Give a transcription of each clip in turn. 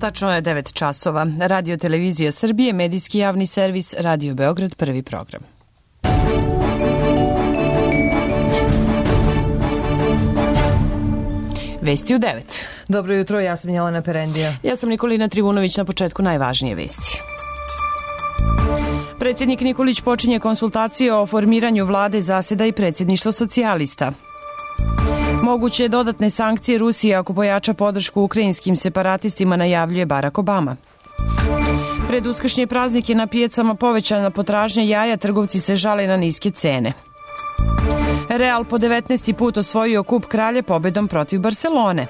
Tačno je 9 časova. Radio Televizija Srbije, medijski javni servis, Radio Beograd, prvi program. Vesti u 9. Dobro jutro, ja sam Jelena Perendija. Ja sam Nikolina Trivunović, na početku najvažnije vesti. Predsjednik Nikolić počinje konsultacije o formiranju vlade, zaseda i predsjedništvo socijalista. Moguće dodatne sankcije Rusije ako pojača podršku ukrajinskim separatistima, najavljuje Barack Obama. Pred uskršnje praznike na pijacama povećana potražnja jaja, trgovci se žale na niske cene. Real po 19. put osvojio kup kralja pobedom protiv Barcelone.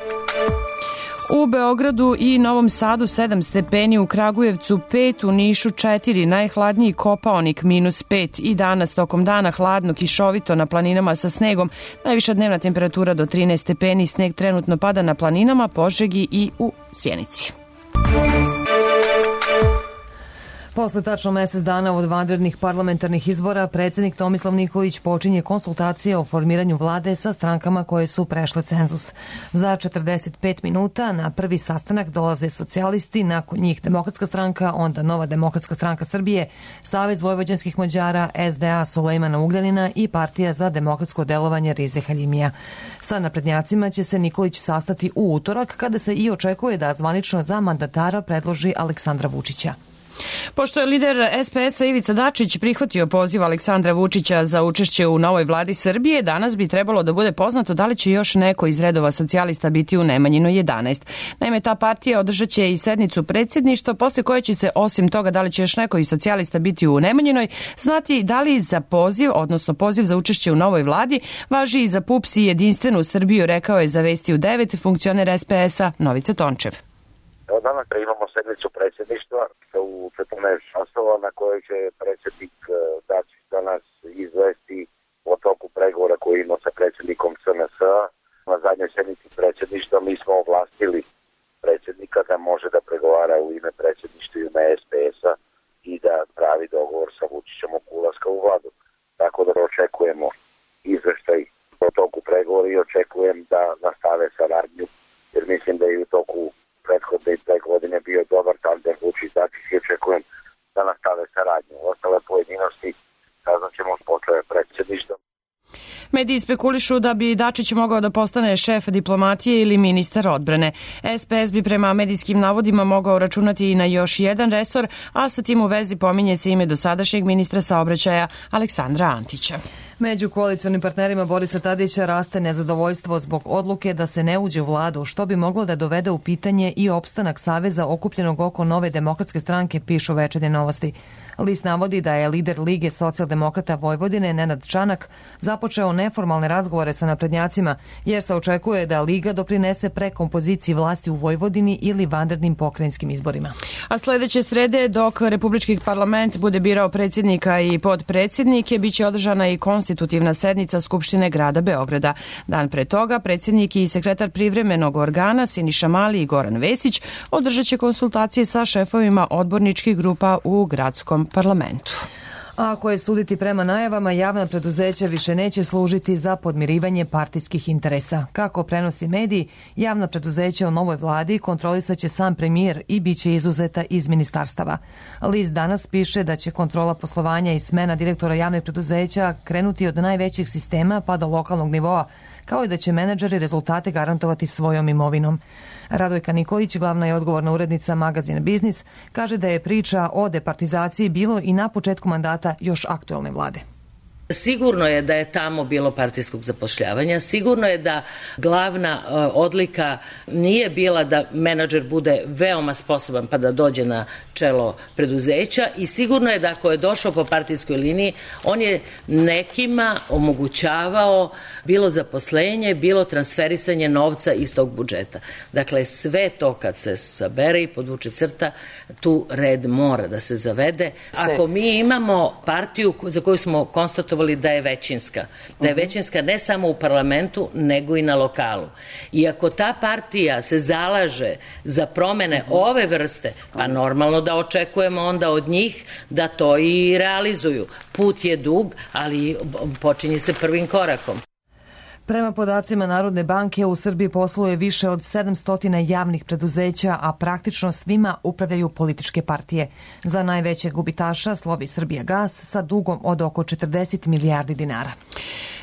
U Beogradu i Novom Sadu 7 stepeni, u Kragujevcu 5, u Nišu 4, najhladniji Kopaonik -5 i danas tokom dana hladno, kišovito na planinama sa snegom, najviša dnevna temperatura do 13 stepeni, sneg trenutno pada na planinama, Požegi i u Sjenici. Posle tačno mesec dana od vanrednih parlamentarnih izbora, predsjednik Tomislav Nikolić počinje konsultacije o formiranju vlade sa strankama koje su prešle cenzus. Za 45 minuta na prvi sastanak dolaze socijalisti, nakon njih Demokratska stranka, onda Nova demokratska stranka Srbije, Savez vojvođanskih Mađara, SDA Sulejmana Ugljanina i Partija za demokratsko delovanje Rize Haljimija. Sa naprednjacima će se Nikolić sastati u utorak, kada se i očekuje da zvanično za mandatara predloži Aleksandra Vučića. Pošto je lider SPS-a Ivica Dačić prihvatio poziv Aleksandra Vučića za učešće u novoj vladi Srbije, danas bi trebalo da bude poznato da li će još neko iz redova socijalista biti u Nemanjinoj 11. Naime, ta partija održat će i sednicu predsjedništva, posle koje će se, osim toga da li će još neko iz socijalista biti u Nemanjinoj, znati da li za poziv, odnosno poziv za učešće u novoj vladi, važi i za PUPS i Jedinstvenu Srbiju, rekao je za Vesti u 9 funkcioner SPS-a Novica Tončev. Danas imamo sednicu predsjedništva u 14 časova na kojoj će predsjednik Dačić danas izvesti o toku pregovora koji ima sa predsjednikom SNS-a. Na zadnjoj sednici predsjedništva mi smo ovlastili predsjednika da može da pregovara u ime predsjedništva i ime SPS-a i da pravi dogovor sa Vučićem oko ulaska u vladu. Tako da očekujemo izveštaj o toku pregovora i očekujem da nastave saradnju, jer mislim da je u toku prethodne 2 godine bio dobar tandem Vučić Dačić i očekujem da nastave saradnju. Ostale pojedinosti saznaćemo posle predsjedništva. Mediji spekulišu da bi Dačić mogao da postane šef diplomatije ili ministar odbrane. SPS bi prema medijskim navodima mogao računati i na još jedan resor, a sa tim u vezi pominje se ime dosadašnjeg ministra saobraćaja Aleksandra Antića. Među koalicionim partnerima Borisa Tadića raste nezadovoljstvo zbog odluke da se ne uđe u vladu, što bi moglo da dovede u pitanje i opstanak saveza okupljenog oko Nove demokratske stranke, pišu Večernje novosti. List navodi da je lider Lige socijaldemokrata Vojvodine, Nenad Čanak, započeo neformalne razgovore sa naprednjacima, jer se očekuje da Liga doprinese prekompoziciji vlasti u Vojvodini ili vanrednim pokrajinskim izborima. A sledeće srede, dok Republički parlament bude birao predsjednika i podpredsjednike, biće održana i konstitutivna sednica Skupštine grada Beograda. Dan pre toga, predsjednik i sekretar privremenog organa Siniša Mali i Goran Vesić održat će konsultacije sa šefovima odborničkih grupa u gradskom parlamentu. A ako je suditi prema najavama, javna preduzeća više neće služiti za podmirivanje partijskih interesa. Kako prenosi mediji, javna preduzeća u novoj vladi kontrolisaće sam premijer i bit će izuzeta iz ministarstava. List danas piše da će kontrola poslovanja i smena direktora javnih preduzeća krenuti od najvećih sistema pa do lokalnog nivoa, kao i da će menadžeri rezultate garantovati svojom imovinom. Radojka Nikolić, glavna je odgovorna urednica magazina Biznis, kaže da je priča o departizaciji bilo i na početku mandata još aktuelne vlade. Sigurno je da je tamo bilo partijskog zapošljavanja, sigurno je da glavna odlika nije bila da menadžer bude veoma sposoban pa da dođe na čelo preduzeća i sigurno je da ako je došao po partijskoj liniji, on je nekima omogućavao bilo zaposlenje, bilo transferisanje novca iz tog budžeta. Dakle, sve to kad se sabere i podvuče crta, tu red mora da se zavede. Ako mi imamo partiju za koju smo konstatovali da je većinska. Da je većinska ne samo u parlamentu, nego i na lokalu. I ako ta partija se zalaže za promene ove vrste, pa normalno da očekujemo onda od njih da to i realizuju. Put je dug, ali počinje se prvim korakom. Prema podacima Narodne banke, u Srbiji posluje više od 700 javnih preduzeća, a praktično svima upravljaju političke partije. Za najvećeg gubitaša slovi Srbijagas sa dugom od oko 40 milijardi dinara.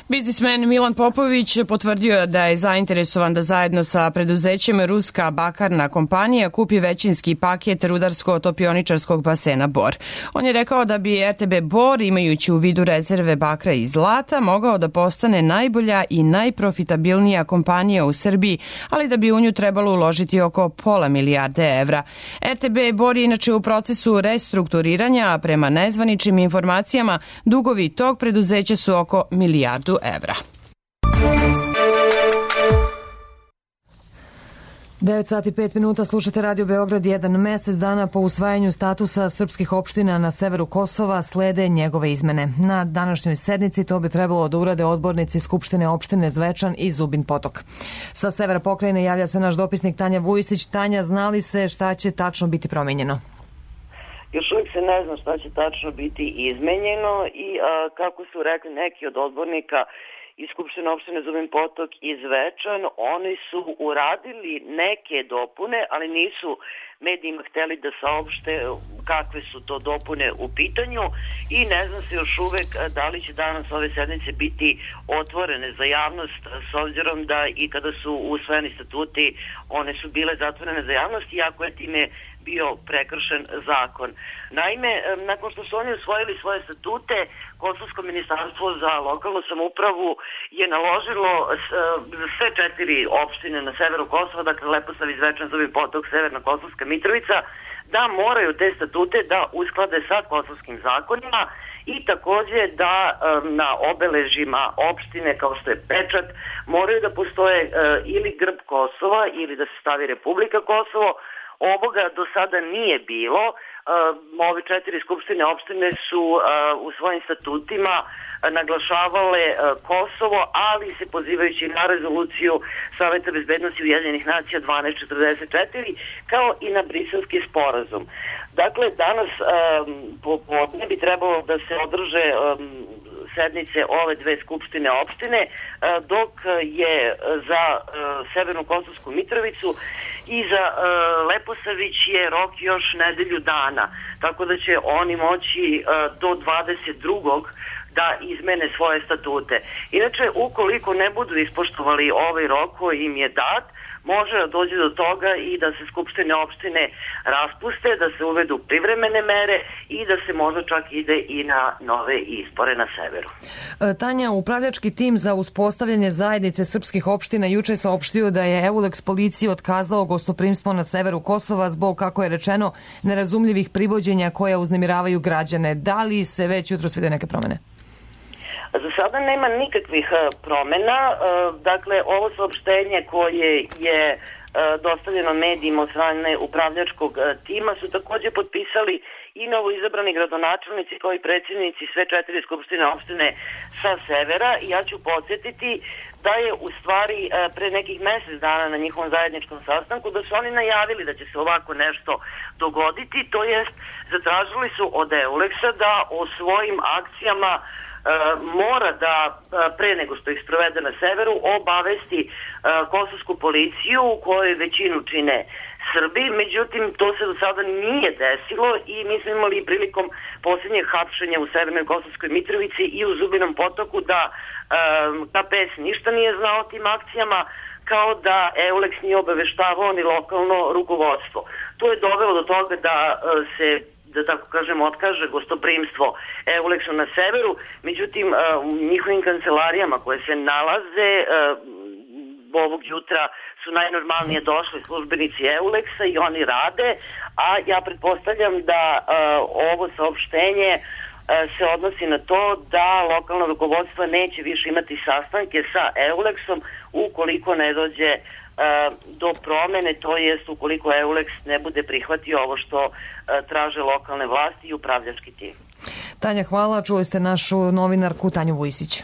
Biznismen Milan Popović potvrdio je da je zainteresovan da zajedno sa preduzećem Ruska bakarna kompanija kupi većinski paket rudarsko-topioničarskog basena Bor. On je rekao da bi RTB Bor, imajući u vidu rezerve bakra i zlata, mogao da postane najbolja i najprofitabilnija kompanija u Srbiji, ali da bi u nju trebalo uložiti oko pola milijarde evra. RTB Bor je inače u procesu restrukturiranja, a prema nezvaničnim informacijama dugovi tog preduzeća su oko milijardu evra. 9 sati i 5 minuta, slušate Radio Beograd. 1 mesec dana po usvajanju statusa srpskih opština na severu Kosova slede njegove izmene. Na današnjoj sednici to bi trebalo da urade odbornici Skupštine opštine Zvečan i Zubin Potok. Sa severa pokrajine javlja se naš dopisnik Tanja Vujisić. Tanja, zna li se šta će tačno biti promenjeno? Još uvijek se ne zna šta će tačno biti izmenjeno i kako su rekli neki od odbornika iz Skupštine opštine Zubin Potok i Zvečan, oni su uradili neke dopune, ali nisu medijima hteli da saopšte kakve su to dopune u pitanju i ne zna se još uvek da li će danas ove sednice biti otvorene za javnost, s obzirom da i kada su usvojeni statuti, one su bile zatvorene za javnost, iako je time bio prekršen zakon. Naime, nakon što su oni usvojili svoje statute, Kosovsko ministarstvo za lokalnu samoupravu je naložilo sve 4 opštine na severu Kosova, dakle Leposavić, Zvečan, Zubin Potok, Severna Kosovska Mitrovica, da moraju te statute da usklade sa kosovskim zakonima i takođe da na obeležima opštine, kao što je pečat, moraju da postoje ili grb Kosova ili da se stavi Republika Kosovo. Ovoga do sada nije bilo. Ove 4 skupštine opštine su u svojim statutima naglašavale Kosovo, ali se pozivajući na rezoluciju Saveta bezbednosti Ujedinjenih nacija 1244, kao i na Briselski sporazum. Dakle, danas popodne bi trebalo da se održe sednice ove 2 skupštine opštine, dok je za Severnu Kosovsku Mitrovicu i za Leposavić je rok još nedelju dana, tako da će oni moći do 22. da izmene svoje statute. Inače, ukoliko ne budu ispoštovali ovaj rok koji im je dat, može da dođe do toga i da se skupštine opštine raspuste, da se uvedu privremene mere i da se možda čak ide i na nove izbore na severu. Tanja, upravljački tim za uspostavljanje zajednice srpskih opština juče saopštio da je EULEX policiji otkazao gostoprimstvo na severu Kosova zbog, kako je rečeno, nerazumljivih privođenja koja uznemiravaju građane. Da li se već jutros vide neke promene? Za sada nema nikakvih promena. Dakle, ovo saopštenje koje je dostavljeno medijima od strane upravljačkog tima su takođe potpisali i novoizabrani gradonačelnici kao i predsjednici sve 4 skupštine opštine sa severa. I ja ću podsjetiti da je u stvari pre nekih mesec dana na njihovom zajedničkom sastanku da su oni najavili da će se ovako nešto dogoditi, to jest zatražili su od EULEX-a da o svojim akcijama mora da, pre nego što ih sprovede na severu, obavesti kosovsku policiju u kojoj većinu čine Srbi. Međutim, to se do sada nije desilo i mi smo imali prilikom posljednjeg hapšenja u Severnoj Kosovskoj Mitrovici i u Zubinom Potoku da KPS ništa nije znao o tim akcijama, kao da EULEX nije obaveštavao ni lokalno rukovodstvo. To je dovelo do toga da se, da tako kažem, otkaže gostoprimstvo EULEX-u na severu. Međutim, u njihovim kancelarijama koje se nalaze ovog jutra su najnormalnije došli službenici EULEX-a i oni rade, a ja pretpostavljam da ovo saopštenje se odnosi na to da lokalno rukovodstvo neće više imati sastanke sa EULEX-om ukoliko ne dođe do promene, to jest ukoliko EULEX ne bude prihvatio ovo što traže lokalne vlasti i upravljački tim. Tanja, hvala. Čuli ste našu novinarku Tanju Vujisić.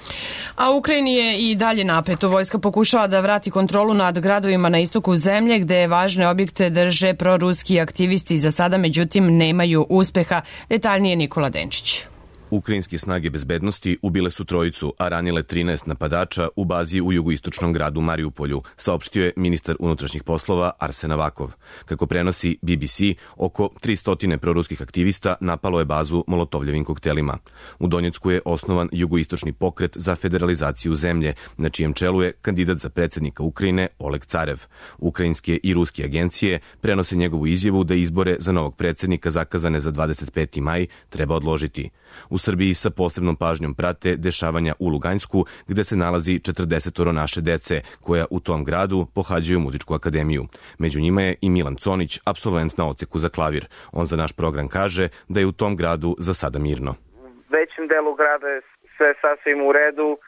A u Ukrajini je i dalje napeto. Vojska pokušava da vrati kontrolu nad gradovima na istoku zemlje, gde važne objekte drže proruski aktivisti. Za sada, međutim, nemaju uspeha. Detaljnije Nikola Denčić. Ukrajinske snage bezbednosti ubile su trojicu, a ranile 13 napadača u bazi u jugoistočnom gradu Mariupolju, saopštio je ministar unutrašnjih poslova Arsen Avakov. Kako prenosi BBC, oko 300 proruskih aktivista napalo je bazu molotovljevim koktelima. U Donjecku je osnovan jugoistočni pokret za federalizaciju zemlje, na čijem čelu je kandidat za predsjednika Ukrajine Oleg Carev. Ukrajinske i ruske agencije prenose njegovu izjavu da izbore za novog predsjednika zakazane za 25. maj treba odložiti. U Srbiji sa posebnom pažnjom prate dešavanja u Luganjsku, gde se nalazi 40 naše dece, koja u tom gradu pohađaju muzičku akademiju. Među njima je i Milan Conić, apsolvent na odseku za klavir. On za naš program kaže da je u tom gradu za sada mirno. U većem delu grada je sve sasvim u redu,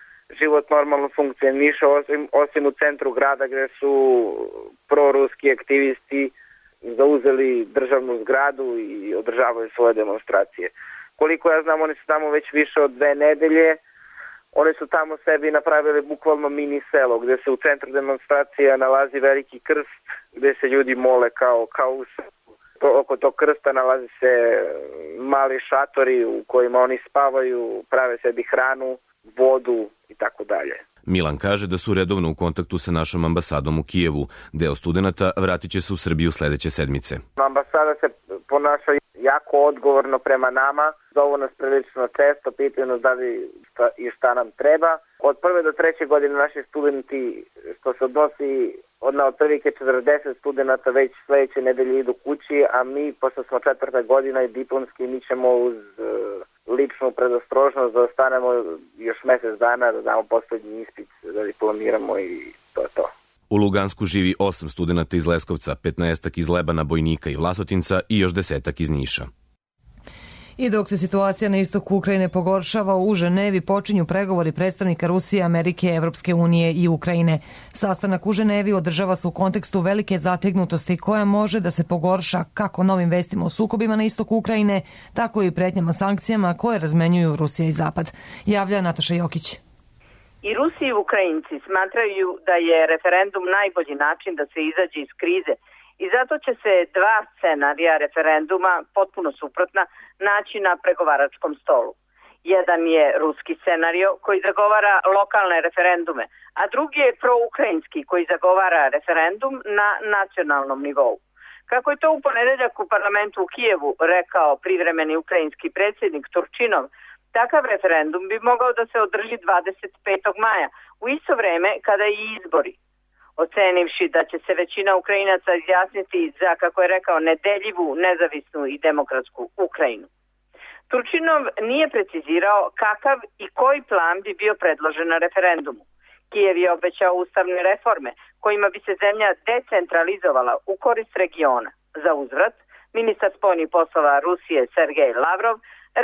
život normalno funkcioniše, osim u centru grada gde su proruski aktivisti zauzeli državnu zgradu i održavaju svoje demonstracije. Koliko ja znam, oni su tamo već više od 2 nedelje. Oni su tamo sebi napravili bukvalno mini selo, gde se u centru demonstracija nalazi veliki krst, gde se ljudi mole kao u selu. Oko tog krsta nalazi se mali šatori u kojima oni spavaju, prave sebi hranu, vodu i tako dalje. Milan kaže da su redovno u kontaktu sa našom ambasadom u Kijevu. Deo studenata vratit će se u Srbiju sledeće sedmice. Ambasada se ponaša jako odgovorno prema nama, zovu nas prilično često, pitaju nas da li šta nam treba. Od 1. do 3. godine naši studenti, što se odnosi na otprilike 40 studenta, već sledeće nedelje idu kući, a mi, pošto smo 4. godina i diplomski, mi ćemo uz ličnu predostrožnost da ostanemo još mesec dana, da damo poslednji ispit, da diplomiramo i to je to. U Lugansku živi 8 studenta iz Leskovca, 15 iz Lebana, Bojnika i Vlasotinca i još 10 iz Niša. I dok se situacija na istoku Ukrajine pogoršava, u Ženevi počinju pregovori predstavnika Rusije, Amerike, Evropske unije i Ukrajine. Sastanak u Ženevi održava se u kontekstu velike zategnutosti koja može da se pogorša kako novim vestima o sukobima na istoku Ukrajine, tako i pretnjama sankcijama koje razmenjuju Rusija i Zapad. Javlja Nataša Jokić. I Rusi i Ukrajinci smatraju da je referendum najbolji način da se izađe iz krize i zato će se 2 scenarija referenduma, potpuno suprotna, naći na pregovaračkom stolu. Jedan je ruski scenario koji zagovara lokalne referendume, a drugi je proukrajinski koji zagovara referendum na nacionalnom nivou. Kako je to u ponedeljak u parlamentu u Kijevu rekao privremeni ukrajinski predsjednik Turčinov, takav referendum bi mogao da se održi 25. maja, u isto vreme kada i izbori. Ocenivši da će se većina Ukrajinaca izjasniti za, kako je rekao, nedeljivu, nezavisnu i demokratsku Ukrajinu. Turčinov nije precizirao kakav i koji plan bi bio predložen na referendumu. Kijev je obećao ustavne reforme kojima bi se zemlja decentralizovala u korist regiona. Za uzvrat, ministar spoljnih poslova Rusije Sergej Lavrov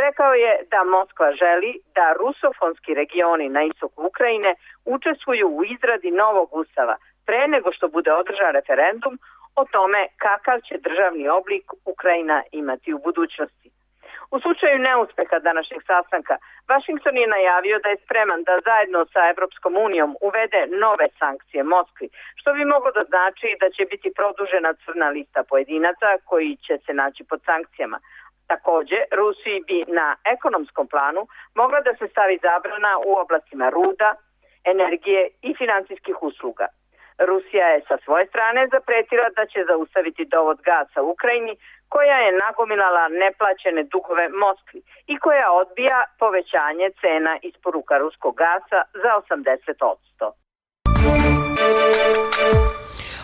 rekao je da Moskva želi da rusofonski regioni na istoku Ukrajine učestvuju u izradi novog ustava pre nego što bude održan referendum o tome kakav će državni oblik Ukrajina imati u budućnosti. U slučaju neuspeha današnjeg sastanka, Vašington je najavio da je spreman da zajedno sa Evropskom unijom uvede nove sankcije Moskvi, što bi moglo da znači da će biti produžena crna lista pojedinaca koji će se naći pod sankcijama. Takođe, Rusiji bi na ekonomskom planu mogla da se stavi zabrana u oblastima ruda, energije i finansijskih usluga. Rusija je sa svoje strane zapretila da će zaustaviti dovod gasa u Ukrajini, koja je nagomilala neplaćene dugove Moskvi i koja odbija povećanje cena isporuka ruskog gasa za 80%.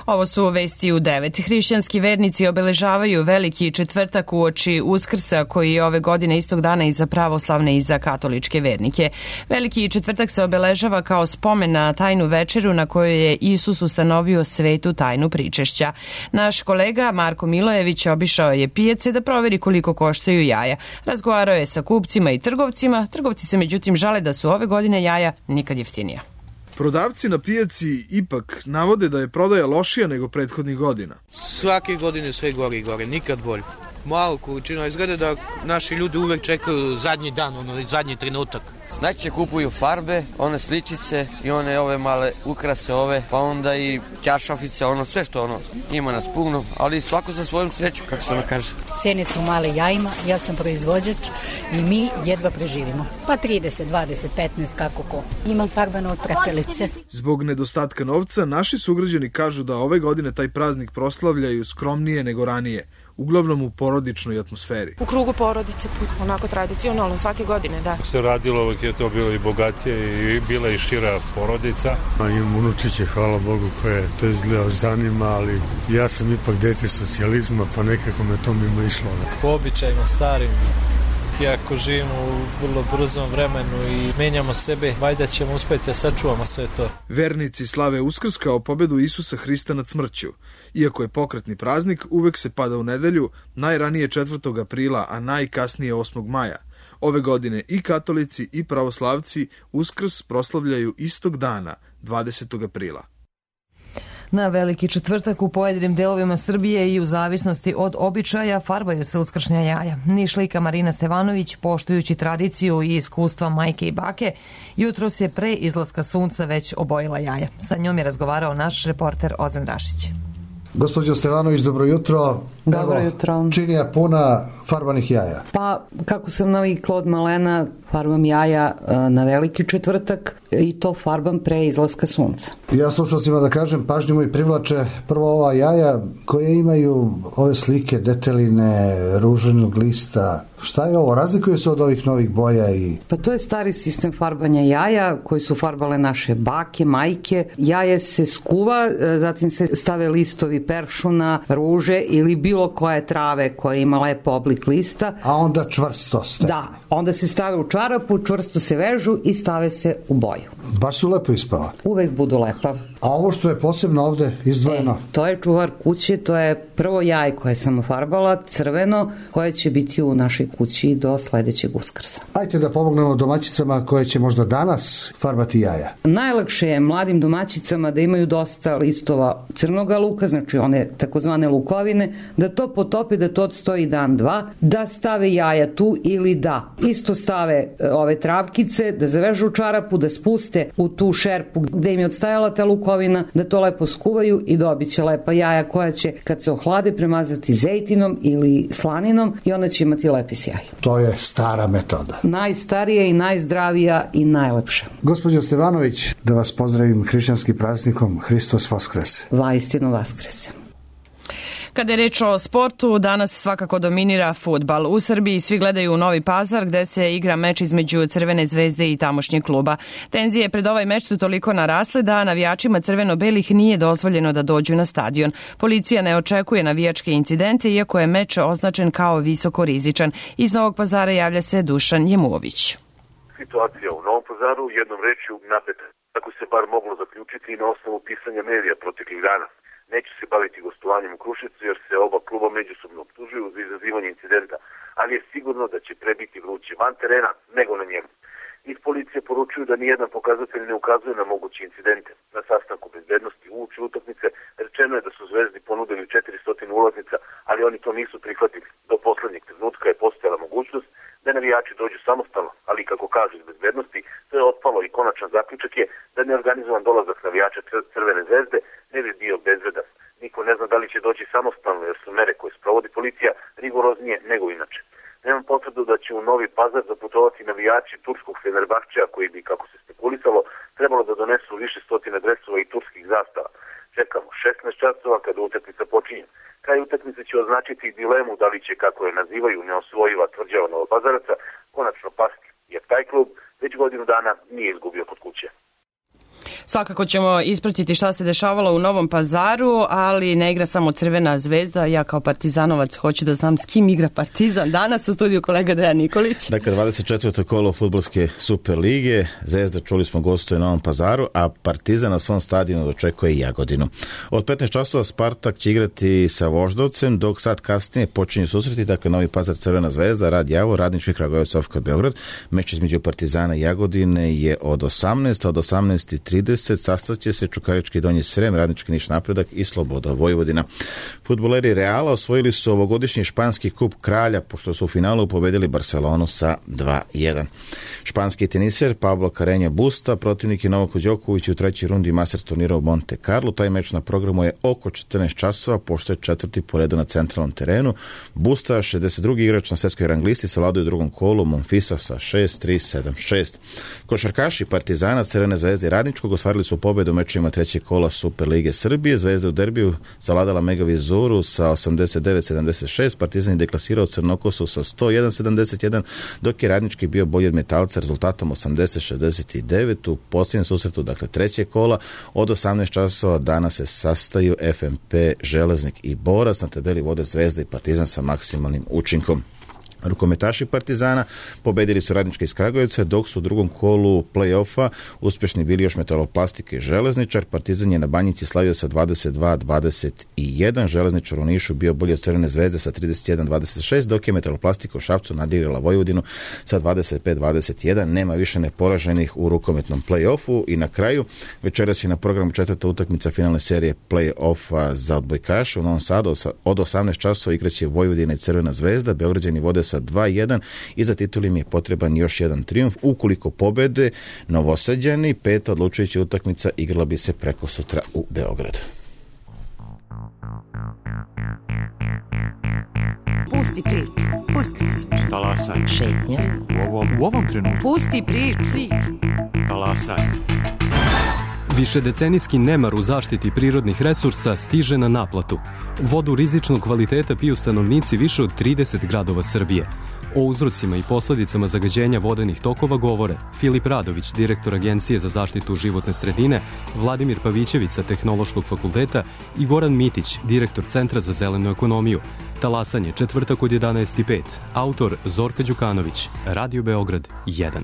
Ovo su vesti u 9. Hrišćanski vernici obeležavaju Veliki četvrtak uoči Uskrsa, koji je ove godine istog dana i za pravoslavne i za katoličke vernike. Veliki četvrtak se obeležava kao spomen na tajnu večeru na kojoj je Isus ustanovio svetu tajnu pričešća. Naš kolega Marko Milojević obišao je pijace da proveri koliko koštaju jaja. Razgovarao je sa kupcima i trgovcima. Trgovci se međutim žale da su ove godine jaja nikad jeftinija. Prodavci na pijaci ipak navode da je prodaja lošija nego prethodnih godina. Svake godine sve gore i gore, nikad bolje. Malo količina, izgleda da naši ljudi uvek čekaju zadnji dan, zadnji trenutak. Najčešće kupuju farbe, one sličice i one ove male ukrase ove, pa onda i čaršafice, ono sve što ima nas puno, ali svako za svojom sreću, kako se ono kaže. Cene su male jajima, ja sam proizvođač i mi jedva preživimo. Pa 30, 20, 15, kako ko. Imam farbane od prepelice. Zbog nedostatka novca, naši sugrađani kažu da ove godine taj praznik proslavljaju skromnije nego ranije, uglavnom u porodičnoj atmosferi. U krugu porodice, onako tradicionalno, svake godine, da. Se radilo, uvek je to bilo i bogatije i bila i šira porodica. Imam unučiće, hvala Bogu, koje to izgleda zanima, ali ja sam ipak dete socijalizma, pa nekako me to mimo išlo. Po običajima starim, iako živimo u vrlo brzom vremenu i menjamo sebe, valjda ćemo uspeti da sačuvamo sve to. Vernici slave Uskrs kao pobedu Isusa Hrista nad smrću. Iako je pokretni praznik, uvek se pada u nedelju, najranije 4. aprila, a najkasnije 8. maja. Ove godine i katolici i pravoslavci Uskrs proslavljaju istog dana, 20. aprila. Na Veliki četvrtak u pojedinim delovima Srbije i u zavisnosti od običaja farbaju se uskršnja jaja. Nišlijka Marina Stevanović, poštujući tradiciju i iskustva majke i bake, jutros je pre izlaska sunca već obojila jaja. Sa njom je razgovarao naš reporter Ozan Rašić. Gospođo Stevanović, dobro jutro. Dobro jutro. Činija puna farbanih jaja. Pa, kako sam navikla od malena, farbam jaja na Veliki četvrtak i to farbam pre izlaska sunca. Ja slušalcima da kažem, pažnju i privlače prvo ova jaja koje imaju ove slike, deteline, ruženog lista. Šta je ovo? Razlikuje se od ovih novih boja i... Pa to je stari sistem farbanja jaja koji su farbale naše bake, majke. Jaje se skuva, zatim se stave listovi peršuna, ruže ili bilo koje trave koja ima lepo oblik lista. A onda čvrsto staje. Da, onda se stave u čarapu, čvrsto se vežu i stave se u boju. Baš su lepo ispala. Uvek budu lepa. A ovo što je posebno ovde izdvojeno? To je čuvar kuće, to je prvo jaje koje sam ofarbala, crveno, koje će biti u našoj kući do sledećeg Uskrsa. Ajde da pomognemo domaćicama koje će možda danas farbati jaja. Najlakše je mladim domaćicama da imaju dosta listova crnoga luka, znači one takozvane lukovine, da to potope, da to odstoji dan, dva, da stave jaja tu ili da isto stave ove travkice, da zavežu u čarapu, da spuste u tu šerpu gde im je odstajala ta lukovina, da to lepo skuvaju i dobit će lepa jaja koja će kad se ohlade premazati zejtinom ili slaninom i onda će imati lepi sjaj. To je stara metoda. Najstarija i najzdravija i najlepša. Gospođo Stevanović, da vas pozdravim hrišćanskim praznikom Hristos Vaskrese. Vaistinu Vaskrese. Kada je reč o sportu, danas svakako dominira fudbal. U Srbiji svi gledaju u Novi Pazar gde se igra meč između Crvene zvezde i tamošnjeg kluba. Tenzije pred ovaj meč su toliko narasle da navijačima crveno-belih nije dozvoljeno da dođu na stadion. Policija ne očekuje navijačke incidente iako je meč označen kao visoko rizičan. Iz Novog Pazara javlja se Dušan Jemuović. Situacija u Novom Pazaru jednom rečju napeta. Tako se bar moglo zaključiti i na osnovu pisanja medija proteklih dana. Neću se baviti gostovanjem u Kruševcu jer se oba kluba međusobno optužuju za izazivanje incidenta, ali je sigurno da će prebiti vruće van terena nego na njemu. Iz policije poručuju da nijedan pokazatelj ne ukazuje na moguće incidente. Na sastanku bezbednosti uoči utakmice rečeno je da su Zvezdi ponudili 400 ulaznica, ali oni to nisu prihvatili. Do poslednjeg trenutka je postojala mogućnost da navijači dođu samostalno, ali kako kažu iz bezbednosti, to je otpalo i konačan zaključak je da neorganizovan dolazak navijača Crvene zvezde ne bi bio bezbedan. Niko ne zna da li će doći samostalno jer su mere koje sprovodi policija rigoroznije nego inače. Nemam potvrdu da će u Novi Pazar zaputovati navijači turskog Fenerbahčeja koji bi, kako se spekulisalo, trebalo da donesu više stotina dresova i turskih zastava. Čekamo 16 časova kada utakmica počinje. Kraj utakmice će označiti dilemu da li će, kako je nazivaju, neosvojiva tvrđava Novopazaraca, konačno pasti, jer taj klub već godinu dana nije izgubio kod kuće. Svakako ćemo ispratiti šta se dešavalo u Novom Pazaru, ali ne igra samo Crvena zvezda. Ja kao partizanovac hoću da znam s kim igra Partizan. Danas u studiju kolega Dejan Nikolić. Dakle, 24. kolo fudbalske Super lige. Zvezda, čuli smo, gostuje u Novom Pazaru, a Partizan na svom stadionu dočekuje Jagodinu. Od 15 časova Spartak će igrati sa Voždovcem, dok sad kasnije počinju susreti, dakle Novi Pazar Crvena zvezda, Rad Javor, Radnički Kragujevac, OFK Beograd. Meč između Partizana i Jagodine je od 18, od 18:30 20.30 sastaće se Čukarički Donji Srem, Radnički Niš Napredak i Sloboda Vojvodina. Fudbaleri Reala osvojili su ovogodišnji španski kup Kralja, pošto su u finalu pobedili Barcelonu sa 2-1. Španski teniser Pablo Carreño Busta protivnik je Novaku Đokoviću u trećoj rundi Masters turnira u Monte Carlo. Taj meč na programu je oko 14 časova, pošto je četvrti po redu na centralnom terenu. Busta, 62. igrač na svetskoj rang listi, savladao u drugom kolu Monfisa sa 6-3-7-6. Košarkaši Partizana, Crvene zvezde i Radničkog ostvarili su pobedu u mečima trećeg kola Super lige Srbije. Zvezda u derbiju savladala Mega Vizoru sa 89-76. Partizan je deklasirao Crnokosu sa 101-71, dok je Radnički bio bolji od Metalca rezultatom 80-69. U posljednjem susretu, dakle trećeg kola, od 18 časova danas se sastaju FNP, Železnik i Borac. Na tabeli vode Zvezda i Partizan sa maksimalnim učinkom. Rukometaši Partizana pobedili su Radnički iz Kragujevca, dok su u drugom kolu play-offa uspješni bili još Metaloplastike i Železničar. Partizan je na Banjici slavio sa 22-21, Železničar u Nišu bio bolji od Crvene zvezde sa 31-26, dok je Metaloplastika u Šapcu nadigrala Vojvodinu sa 25-21. Nema više neporaženih u rukometnom play-offu. I na kraju, večeras je na programu četvrta utakmica finalne serije play-offa za odbojkaše u Novom Sadu. Od 18 časova igraće Vojvodina i Crvena zvezda. Beograđani vode sa 2-1 i za titul im je potreban još jedan trijumf. Ukoliko pobede Novosađani, peta odlučujuća utakmica igrala bi se preko sutra u Beogradu. Pusti priču. Pusti priču. Talasaj. Šetnja. U ovom trenutku. Pusti priču. Talasaj. Višedecenijski nemar u zaštiti prirodnih resursa stiže na naplatu. Vodu rizičnog kvaliteta piju stanovnici više od 30 gradova Srbije. O uzrocima i posledicama zagađenja vodenih tokova govore Filip Radović, direktor Agencije za zaštitu životne sredine, Vladimir Pavićević sa Tehnološkog fakulteta i Goran Mitić, direktor Centra za zelenu ekonomiju. Talasanje, četvrtak od 11:05. Autor Zorka Đukanović. Radio Beograd 1.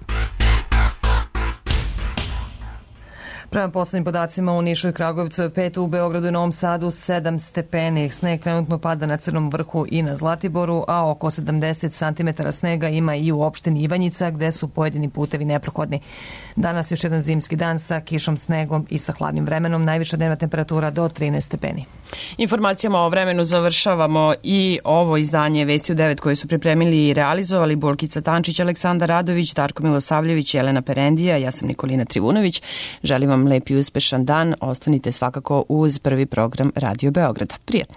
Prema poslednjim podacima u Nišu i Kragujevcu je 5, u Beogradu i Novom Sadu 7 stepeni. Sneg trenutno pada na Crnom vrhu i na Zlatiboru, a oko 70 cm snega ima i u opštini Ivanjica, gde su pojedini putevi neprohodni. Danas još jedan zimski dan sa kišom, snegom i sa hladnim vremenom. Najviša dnevna temperatura do 13 stepeni. Informacijama o vremenu završavamo i ovo izdanje Vesti u 9 koje su pripremili i realizovali Bolkica Tančić, Aleksandar Radović, Darko Milosavljević, Jelena Perendija, ja sam Nikolina Trivunović. Želim vam lep i uspešan dan. Ostanite svakako uz prvi program Radio Beograda. Prijetno.